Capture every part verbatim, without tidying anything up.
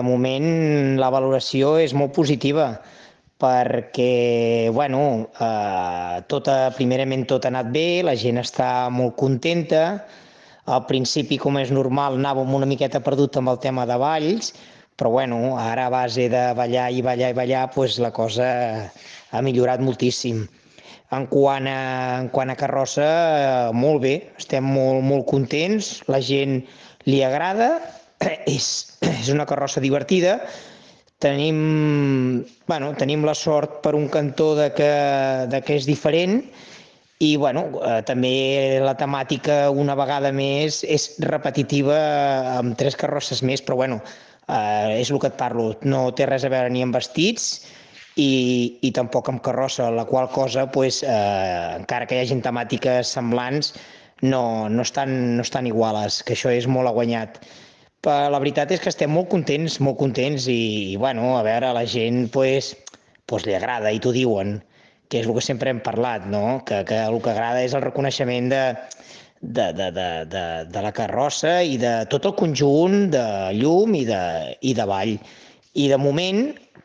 De moment la valoració és molt positiva perquè, bueno, eh, tot, ha- primerament tot ha anat bé, la gent està molt contenta. Al principi, com és normal, anàvem una miqueta perdut amb el tema de balls, però bueno, ara a base de ballar i ballar i ballar, doncs la cosa ha millorat moltíssim. En quant a, en quant a carrossa, eh, molt bé, estem molt, molt contents, la gent li agrada, és, és una carrossa divertida. Tenim, bueno, tenim la sort per un cantó de que, de que és diferent i bueno, eh, també la temàtica una vegada més és repetitiva amb tres carrosses més, però bueno, eh, és el que et parlo, no té res a veure ni amb vestits i, i tampoc amb carrossa, la qual cosa, pues, eh, encara que hi hagin temàtiques semblants, no, no, estan, no estan iguales, que això és molt a guanyat. Però la veritat és que estem molt contents, molt contents i, i bueno, a veure, a la gent pues, pues li agrada i t'ho diuen, que és el que sempre hem parlat, no? Que, que el que agrada és el reconeixement de, de, de, de, de, de la carrossa i de tot el conjunt de llum i de, i de ball. I de moment,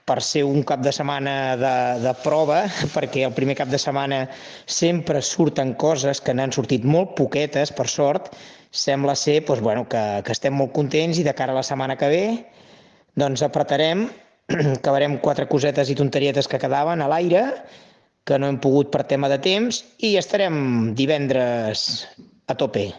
per ser un cap de setmana de, de prova, perquè el primer cap de setmana sempre surten coses que n'han sortit molt poquetes, per sort, sembla ser doncs, bueno, que, que estem molt contents i de cara a la setmana que ve doncs apretarem, acabarem quatre cosetes i tonterietes que quedaven a l'aire, que no hem pogut per tema de temps, i estarem divendres a tope.